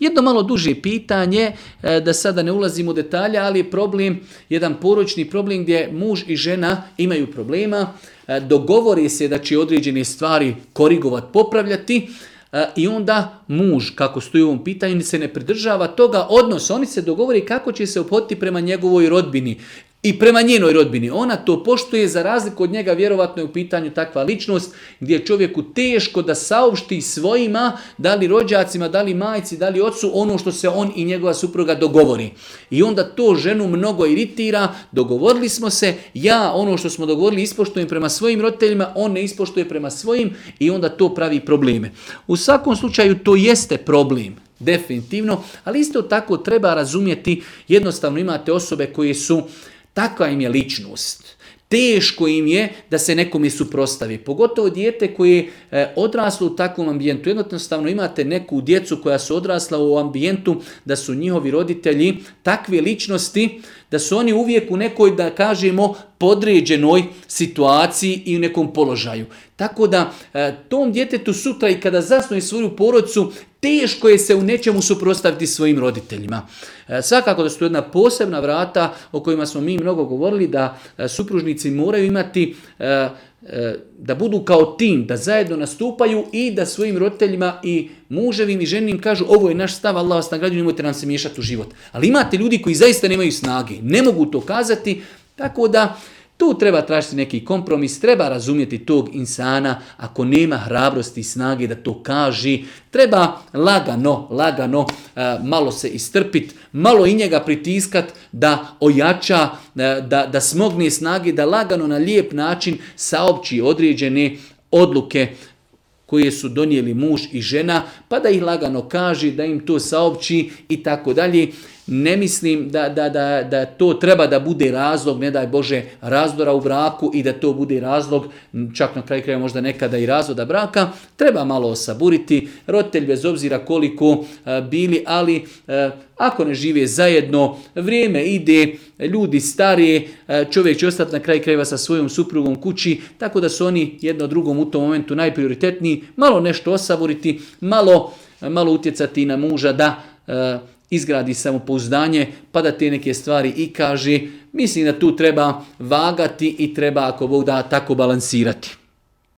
Jedno malo duže pitanje, da sada ne ulazimo u detalje, ali je problem, jedan porodični problem gdje muž i žena imaju problema, dogovori se da će određene stvari korigovati, popravljati, i onda muž, kako stoji u ovom pitanju, se ne pridržava toga odnosa. Oni se dogovori kako će se ophoditi prema njegovoj rodbini i prema njenoj rodbini. Ona to poštuje, za razliku od njega vjerovatno je u pitanju takva ličnost gdje je čovjeku teško da saopšti svojima, da li rođacima, da li majci, da li ocu, ono što se on i njegova supruga dogovori. I onda to ženu mnogo iritira, dogovorili smo se, ja ono što smo dogovorili ispoštujem prema svojim roditeljima, on ne ispoštuje prema svojim i onda to pravi probleme. U svakom slučaju to jeste problem. Definitivno, ali isto tako treba razumjeti, jednostavno imate osobe koje su, takva im je ličnost. Teško im je da se nekome suprotstavi. Pogotovo dijete koje je odraslo u takvom ambijentu. Jednostavno imate neku djecu koja su odrasla u ambijentu da su njihovi roditelji takve ličnosti da su oni uvijek u nekoj, da kažemo, podređenoj situaciji i u nekom položaju. Tako da tom djetetu sutra i kada zasnuje svoju porodicu, teško je se u nečemu suprotstaviti svojim roditeljima. Svakako da su to jedna posebna vrata o kojima smo mi mnogo govorili, da supružnici moraju imati, da budu kao tim, da zajedno nastupaju i da svojim roditeljima i muževim i ženim kažu ovo je naš stav, Allah vas nagrađuje, nemojte nam se miješati u život. Ali imate ljudi koji zaista nemaju snage, ne mogu to kazati, tako da tu treba tražiti neki kompromis, treba razumjeti tog insana, ako nema hrabrosti i snage da to kaže, treba lagano malo se istrpiti, malo i njega pritiskat da ojača, da smogne snage, da lagano na lijep način saopći određene odluke koje su donijeli muž i žena, pa da ih lagano kaže, da im to saopći i tako dalje. Ne mislim da to treba da bude razlog, ne daj Bože, razdora u braku i da to bude razlog, čak na kraju kraja možda nekada i razvoda braka. Treba malo osaburiti, roditelj bez obzira koliko bili, ali ako ne žive zajedno, vrijeme ide, ljudi starije, čovjek će ostati na kraju krajeva sa svojom suprugom kući, tako da su oni jedno drugom u tom momentu najprioritetniji. Malo nešto osaburiti, malo utjecati na muža da izgradi samopouzdanje, pa da te neke stvari i kaže. Mislim da tu treba vagati i treba, ako Bog da, tako balansirati.